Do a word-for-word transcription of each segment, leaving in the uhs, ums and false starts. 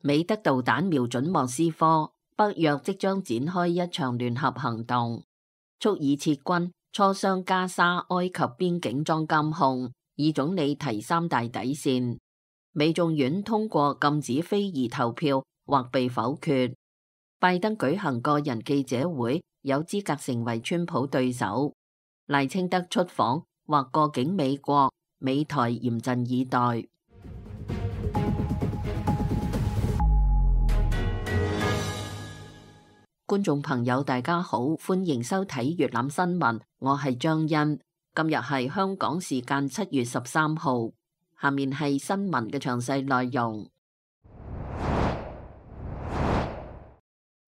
美德導彈瞄準莫斯科，北約即將展開一場聯合行動，促以撤軍，磋商加沙埃及邊境裝監控，以總理提三大底線。美眾院通過禁止非議投票或被否決。拜登舉行個人記者會，有資格成為川普對手。賴清德出訪或過境美國，美台嚴陣以待。觀眾朋友大家好，歡迎收睇粵覽新聞，我係張欣。今日係香港時間七月十三號，下面係新聞嘅詳細內容。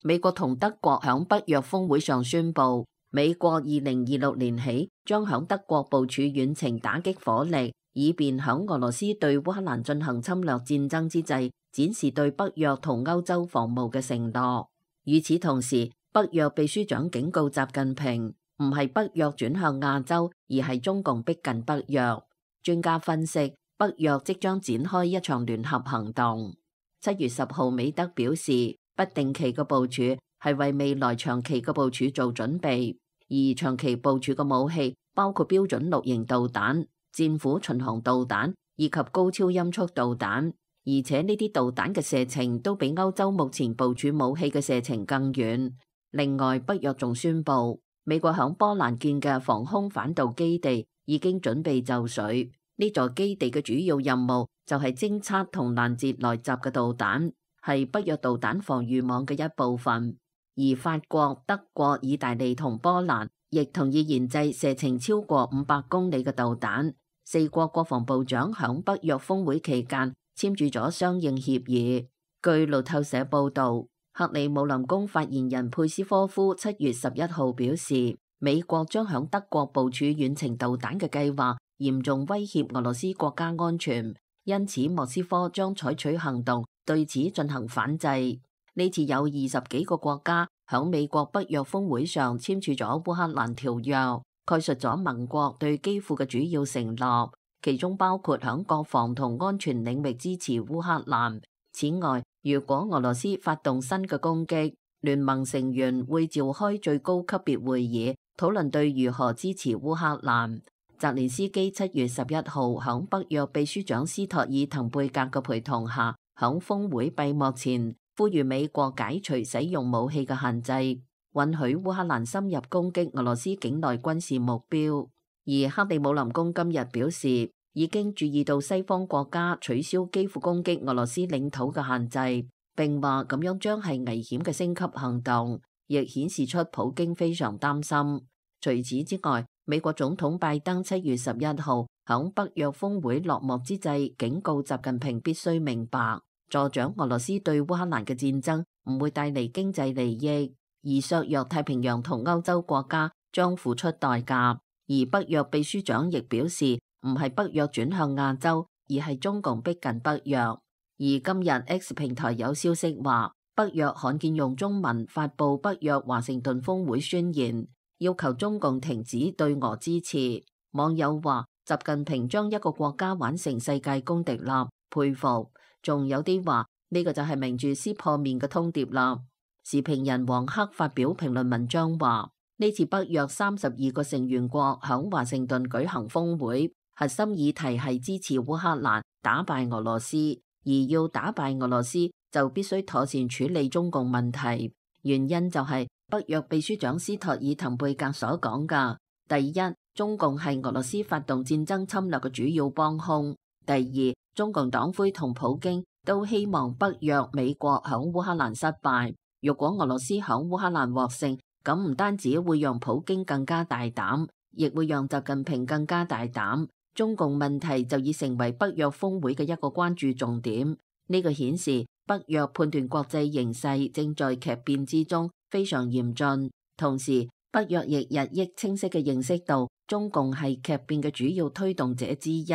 美國同德國響北約峰會上宣布，美國二零二六年起將響德國部署遠程打擊火力，以便響俄羅斯對烏克蘭進行侵略戰爭之際，展示對北約同歐洲防務嘅承諾。與此同時，北約秘書長警告習近平，唔係北約轉向亞洲，而係中共逼近北約。專家分析，北約即將展開一場聯合行動。七月十號，美德表示，不定期嘅部署係為未來長期嘅部署做準備，而長期部署嘅武器包括標準綠型導彈、戰斧巡航導彈以及高超音速導彈。而且呢啲導彈嘅射程都比歐洲目前部署武器嘅射程更遠。另外，北約仲宣布，美國響波蘭建嘅防空反導基地已經準備就緒。呢座基地嘅主要任務就係偵測同攔截來襲嘅導彈，係北約導彈防禦網嘅一部分。而法國、德國、意大利同波蘭亦同意研製射程超過五百公里嘅導彈。四國國防部長響北約峰會期間簽署咗相應協議。據路透社報道，克里姆林宮發言人佩斯科夫七月十一號表示，美國將響德國部署遠程導彈嘅計劃嚴重威脅俄羅斯國家安全，因此莫斯科將採取行動對此進行反制。呢次有二十幾個國家響美國北約峰會上簽署咗烏克蘭條約，概述咗盟國對基輔嘅主要承諾，其中包括響國防同安全領域支持烏克蘭。此外，如果俄羅斯發動新嘅攻擊，聯盟成員會召開最高級別會議，討論對如何支持烏克蘭。澤連斯基七月十一號響北約秘書長斯托爾滕貝格嘅陪同下，響峰會閉幕前呼籲美國解除使用武器嘅限制，允許烏克蘭深入攻擊俄羅斯境內軍事目標。而克里姆林宮今日表示，已經注意到西方國家取消幾乎攻擊俄羅斯領土嘅限制，並話咁樣將係危險嘅升級行動，亦顯示出普京非常擔心。除此之外，美國總統拜登七月十一號響北約峰會落幕之際，警告習近平必須明白，助長俄羅斯對烏克蘭嘅戰爭唔會帶嚟經濟利益，而削弱太平洋同歐洲國家將付出代價。而北約秘書長亦表示，唔係北約轉向亞洲，而係中共逼近北約。而今日 X 平台有消息話，北約罕見用中文發布北約華盛頓峰會宣言，要求中共停止對俄支持。網友話，習近平將一個國家玩成世界公敵啦，佩服。仲有啲話呢個就係明住撕破面嘅通牒啦。時評人黃克發表評論文章話，呢次北約三十二個成員國響華盛頓舉行峰會，核心議題係支持烏克蘭打敗俄羅斯，而要打敗俄羅斯就必須妥善處理中共問題。原因就係北約秘書長斯托爾滕貝格所講嘅：第一，中共係俄羅斯發動戰爭侵略嘅主要幫兇；第二，中共黨魁同普京都希望北約美國響烏克蘭失敗。如果俄羅斯響烏克蘭獲勝，咁唔單止會讓普京更加大膽，亦會讓習近平更加大膽。中共問題就已成為北約峰會嘅一個關注重點。呢個顯示北約判斷國際形勢正在劇變之中，非常嚴峻。同時，北約亦日益清晰嘅認識到，中共係劇變嘅主要推動者之一，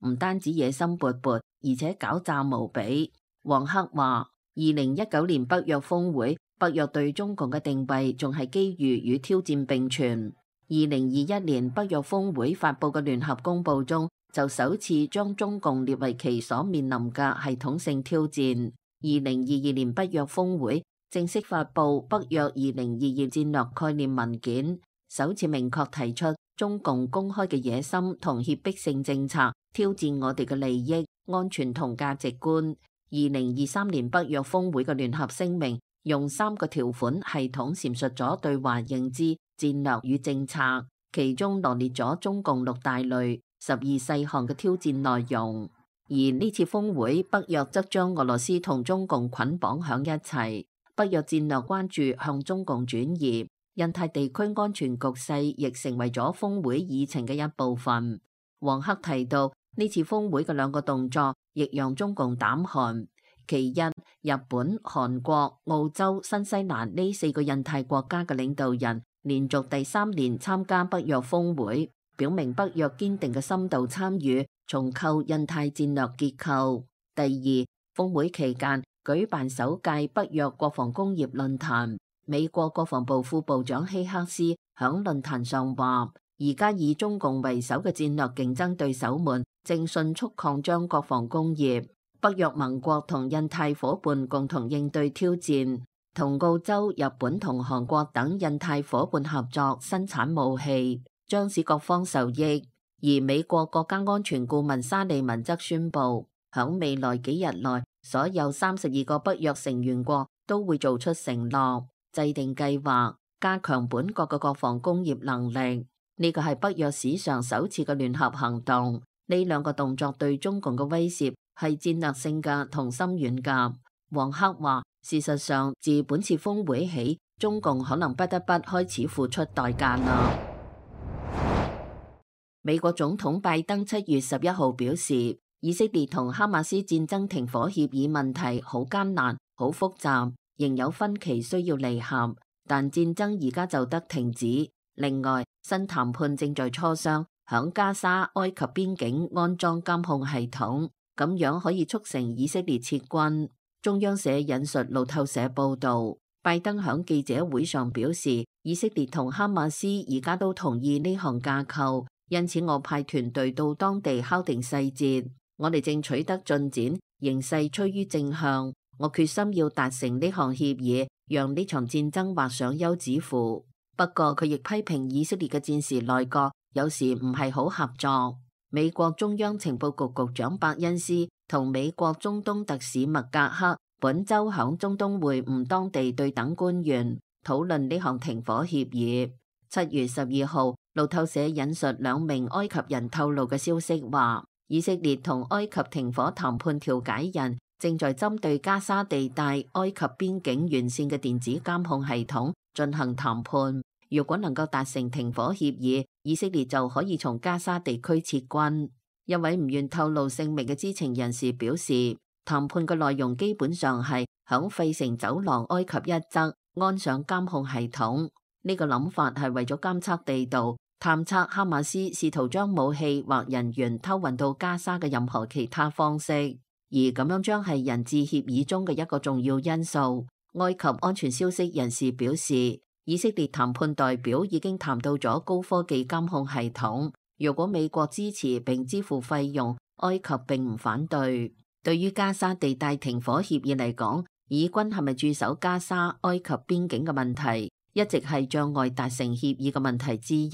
唔單止野心勃勃，而且狡詐無比。黃克話，二零一九年北約峰會，北約對中共嘅定位仲係機遇與挑戰並存。二零二一年北約峰會發佈嘅聯合公報中，就首次將中共列為其所面臨嘅系統性挑戰。二零二二年北約峰會正式發布北約二零二二戰略概念文件，首次明確提出中共公開嘅野心同脅迫性政策挑戰我哋嘅利益、安全同價值觀。二零二三年北約峰會嘅聯合聲明用三個條款系統闡述咗對華認知、戰略與政策，其中羅列咗中共六大類、十二細項嘅挑戰內容。而呢次峰會，北約則將俄羅斯同中共捆綁喺一齊，北約戰略關注向中共轉移，印太地區安全局勢亦成為咗峰會議程嘅一部分。王克提到，呢次峰會嘅兩個動作亦讓中共膽寒。其一，日本、韓國、澳洲、新西蘭呢四個印太國家嘅領導人連續第三年參加北約峰會，表明北約堅定嘅深度參與重構印太戰略結構。第二，峰會期間舉辦首屆北約國防工業論壇，美國國防部副部長希克斯響論壇上話，而家以中共為首嘅戰略競爭對手們正迅速擴張國防工業。北約盟國同印太夥伴共同應對挑戰，同澳洲、日本同韓國等印太夥伴合作生產武器，將使各方受益。而美國國家安全顧問沙利文則宣布，響未來幾日內，所有三十二個北約成員國都會做出承諾，制定計劃，加強本國嘅國防工業能力。呢個係北約史上首次嘅聯合行動。呢兩個動作對中共嘅威懾係戰略性嘅同深遠嘅。王克話，事實上自本次峰會起，中共可能不得不開始付出代價啦。美國總統拜登七月十一號表示，以色列同哈馬斯戰爭停火協議問題好艱難、好複雜，仍有分歧需要彌合，但戰爭而家就得停止。另外，新談判正在磋商，響加沙、埃及邊境安裝監控系統，咁樣可以促成以色列撤軍。中央社引述路透社報道，拜登響記者會上表示，以色列同哈馬斯而家都同意呢項架構，因此我派團隊到當地敲定細節。我哋正取得進展，形勢趨於正向。我決心要達成呢項協議，讓呢場戰爭畫上休止符。不過佢亦批評以色列嘅戰時內閣有時唔係好合作。美國中央情報局局長伯恩斯同美國中東特使麥格克本周響中東會晤當地對等官員，討論呢項停火協議。七月十二號，路透社引述兩名埃及人透露嘅消息話，以色列同埃及停火談判調解人正在針對加沙地帶埃及邊境完善嘅電子監控系統進行談判。如果能夠達成停火協議，以色列就可以從加沙地區撤軍。一位唔願透露姓名嘅知情人士表示，談判嘅內容基本上係響費城走廊埃及一側安上監控系統。呢個諗法係為咗監測地道，探測哈馬斯試圖將武器或人員偷運到加沙嘅任何其他方式，而咁樣將係人質協議中嘅一個重要因素。埃及安全消息人士表示，以色列談判代表已經談到咗高科技監控系統，如果美國支持並支付費用，埃及並唔反對。對於加沙地帶停火協議嚟講，以軍係咪駐守加沙、埃及邊境嘅問題，一直係障礙達成協議嘅問題之一，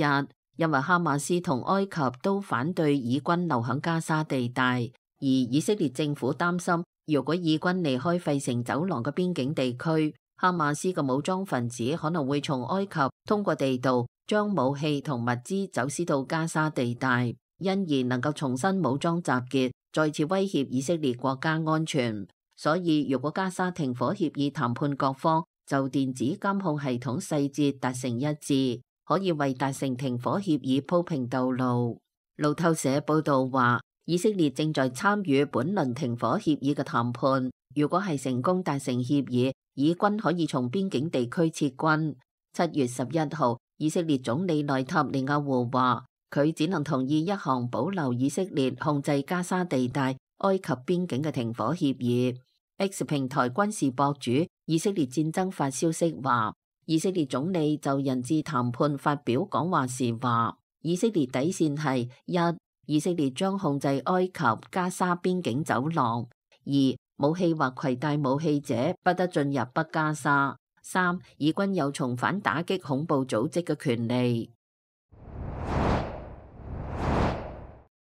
因為哈馬斯同埃及都反對以軍留響加沙地帶，而以色列政府擔心，如果以軍離開費城走廊嘅邊境地區，哈馬斯嘅武裝分子可能會從埃及通過地道將武器同物資走私到加沙地帶，因而能夠重新武裝集結，再次威脅以色列國家安全。所以如果加沙停火協議談判各方就電子監控系統細節達成一致，可以為達成停火協議鋪平道路。路透社報道話，以色列正在參與本輪停火協議嘅談判，如果係成功達成協議，以軍可以從邊境地區撤軍。七月十一號，以色列總理內塔尼亞胡話，佢只能同意一項保留以色列控制加沙地帶埃及邊境嘅停火協議。X 平台軍事博主以色列戰爭發消息話，以色列總理就人質談判發表講話時話，以色列底線係一，以色列將控制埃及加沙邊境走廊；二，武器或攜帶武器者不得進入北加沙。三、以軍有重返打擊恐怖組織嘅權利。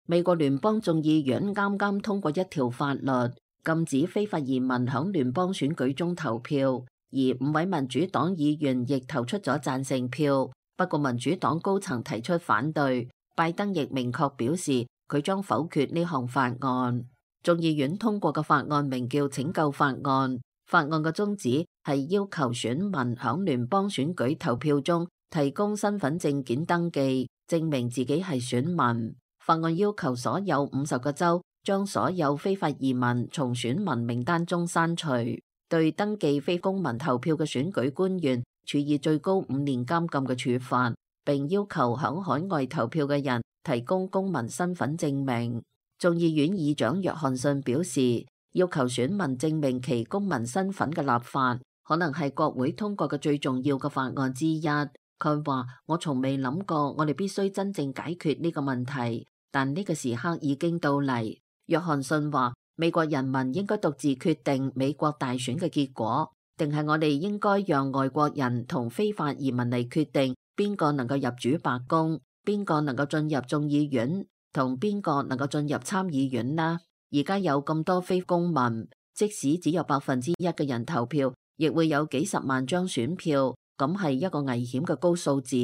美國聯邦眾議院啱啱通過一條法律，禁止非法移民響聯邦選舉中投票，而五位民主黨議員亦投出咗贊成票。不過民主黨高層提出反對，拜登亦明確表示佢將否決呢項法案。眾議院通過嘅法案名叫拯救法案，法案嘅宗旨係要求選民響聯邦選舉投票中提供身份證件登記，證明自己係選民。法案要求所有五十個州將所有非法移民從選民名單中刪除，對登記非公民投票嘅選舉官員處以最高五年監禁嘅處罰，並要求響海外投票嘅人提供公民身份證明。眾議院議長約翰遜表示，要求選民證明其公民身份嘅立法，可能係國會通過嘅最重要嘅法案之一。佢話：我從未諗過我哋必須真正解決呢個問題，但呢個時刻已經到嚟。約翰遜話：美國人民應該獨自決定美國大選嘅結果，定係我哋應該讓外國人同非法移民嚟決定邊個能夠入主白宮，邊個能夠進入眾議院，同邊個能夠進入參議院呢？而家有咁多非公民，即使只有百分之一嘅人投票，亦會有幾十萬張選票。咁係一個危險嘅高數字。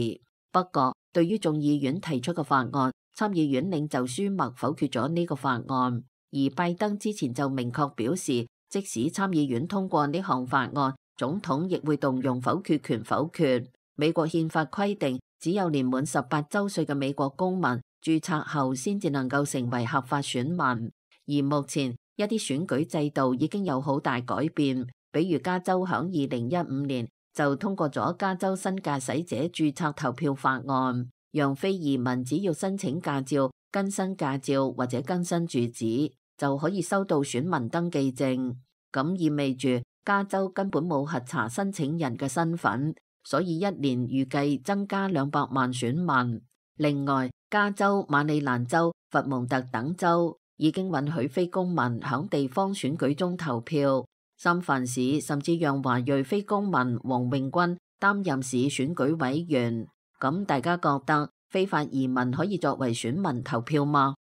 不過，對於眾議院提出嘅法案，參議院領袖舒默否決咗呢個法案。而拜登之前就明確表示，即使參議院通過呢項法案，總統亦會動用否決權否決。美國憲法規定，只有年滿十八週歲嘅美國公民註冊後，先至能夠成為合法選民。而目前一啲選舉制度已經有好大改變，比如加州響二零一五年就通過咗加州新駕駛者註冊投票法案，讓非移民只要申請駕照、更新駕照或者更新住址，就可以收到選民登記證。咁意味住加州根本冇核查申請人嘅身份，所以一年預計增加兩百萬選民。另外，加州、馬里蘭州、佛蒙特等州已經允許非公民響地方選舉中投票。三藩市甚至讓華裔非公民黃永軍擔任市選舉委員。咁大家覺得非法移民可以作為選民投票嗎？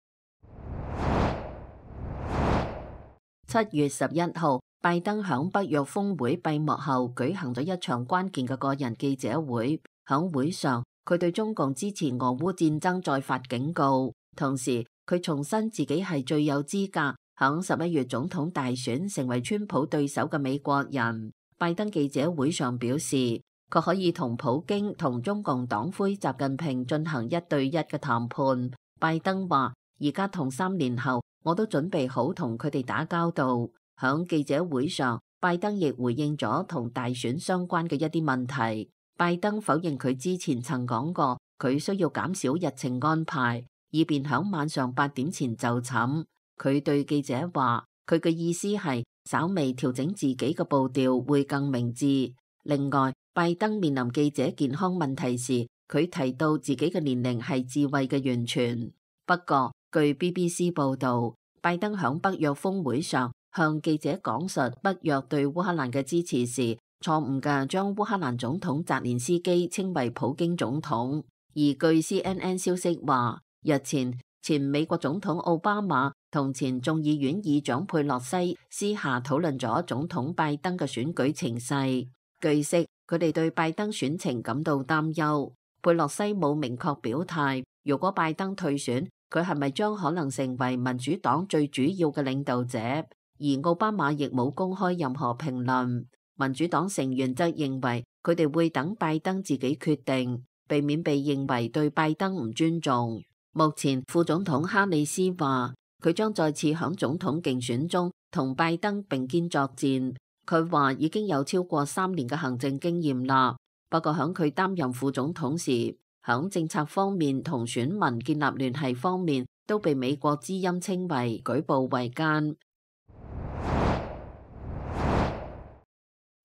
七月十一號，拜登響北約峰會閉幕後舉行咗一場關鍵嘅個人記者會。響會上，佢對中共支持俄烏戰爭再發警告，同時佢重申自己係最有資格響十一月總統大選成為川普對手嘅美國人。拜登記者會上表示，佢可以同普京同中共黨魁習近平進行一對一嘅談判。拜登話：而家同三年後，我都準備好同佢哋打交道。響記者會上，拜登亦回應咗同大選相關嘅一啲問題。拜登否認佢之前曾講過佢需要減少日程安排，以便響晚上八點前就寢。佢對記者話，佢嘅意思係稍微調整自己嘅步調會更明智。另外，拜登面臨記者健康問題時，佢提到自己嘅年齡係智慧嘅源泉。不過，據 B B C 報道，拜登響北約峰會上向記者講述北約對烏克蘭嘅支持時，錯誤嘅將烏克蘭總統澤連斯基稱為普京總統。而據 C N N 消息話，日前前美國總統奧巴馬同前眾議院議長佩洛西私下討論咗總統拜登嘅選舉情勢。據悉，佢哋對拜登選情感到擔憂。佩洛西冇明確表態，如果拜登退選，佢係咪將可能成為民主黨最主要嘅領導者？而奧巴馬亦冇公開任何評論。民主黨成員則認為佢哋會等拜登自己決定，避免被認為對拜登唔尊重。目前副總統哈里斯話，佢將再次響總統競選中同拜登並肩作戰。佢話已經有超過三年嘅行政經驗啦，不過響佢擔任副總統時，響政策方面同選民建立聯繫方面，都被美國之音稱為舉步維艱。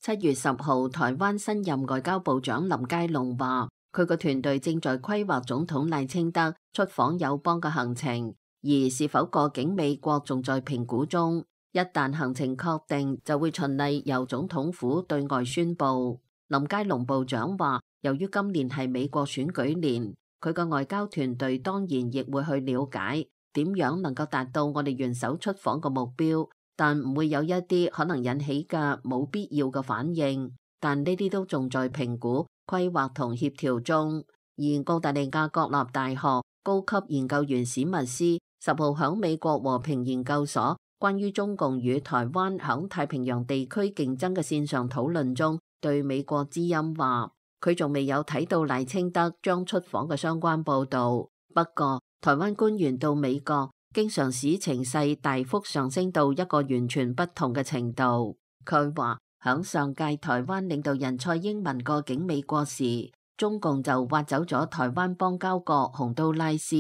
七月十號，台灣新任外交部長林佳龍話，佢個團隊正在規劃總統賴清德出訪友邦嘅行程，而是否過境美國仲在評估中。一旦行程確定，就會循例由總統府對外宣佈。林佳龍部長話，由於今年係美國選舉年，佢個外交團隊當然亦會去了解點樣能夠達到我哋元首出訪嘅目標，但唔會有一啲可能引起嘅冇必要嘅反應。但呢啲都仲在評估、規劃同協調中。而澳大利亞國立大學高級研究員史密斯十號響美國和平研究所關於中共與台灣響太平洋地區競爭嘅線上討論中，對美國之音話，佢仲未有睇到賴清德將出訪嘅相關報導。不過，台灣官員到美國經常使情勢大幅上升到一個完全不同嘅程度。佢話，響上屆台灣領導人蔡英文過境美國時，中共就挖走咗台灣邦交國洪都拉斯。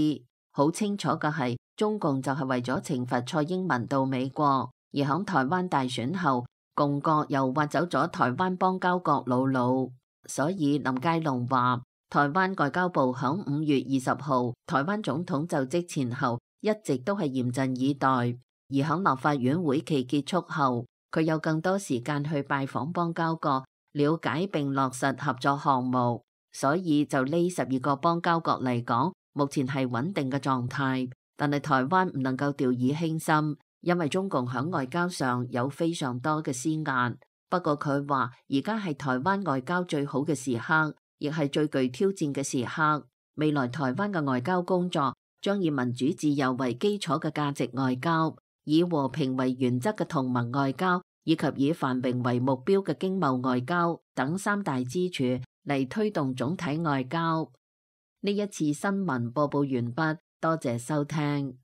好清楚嘅係，中共就係為咗懲罰蔡英文到美國，而響台灣大選後，共國又挖走咗台灣邦交國魯魯。所以林佳龍話，台灣外交部響五月二十號台灣總統就職前後一直都係嚴陣以待，而響立法院會期結束後，佢有更多時間去拜訪邦交國，了解並落實合作項目。所以就呢十二個邦交國嚟講，目前係穩定嘅狀態。但係台灣唔能夠掉以輕心，因為中共響外交上有非常多嘅施壓。不過佢話，而家係台灣外交最好嘅時刻，亦係最具挑戰嘅時刻。未來台灣嘅外交工作將以民主自由為基礎嘅價值外交，以和平為原則嘅同盟外交，以及以繁榮為目標嘅經貿外交等三大支柱嚟推動總體外交。呢一次新聞播報完畢，多謝收聽。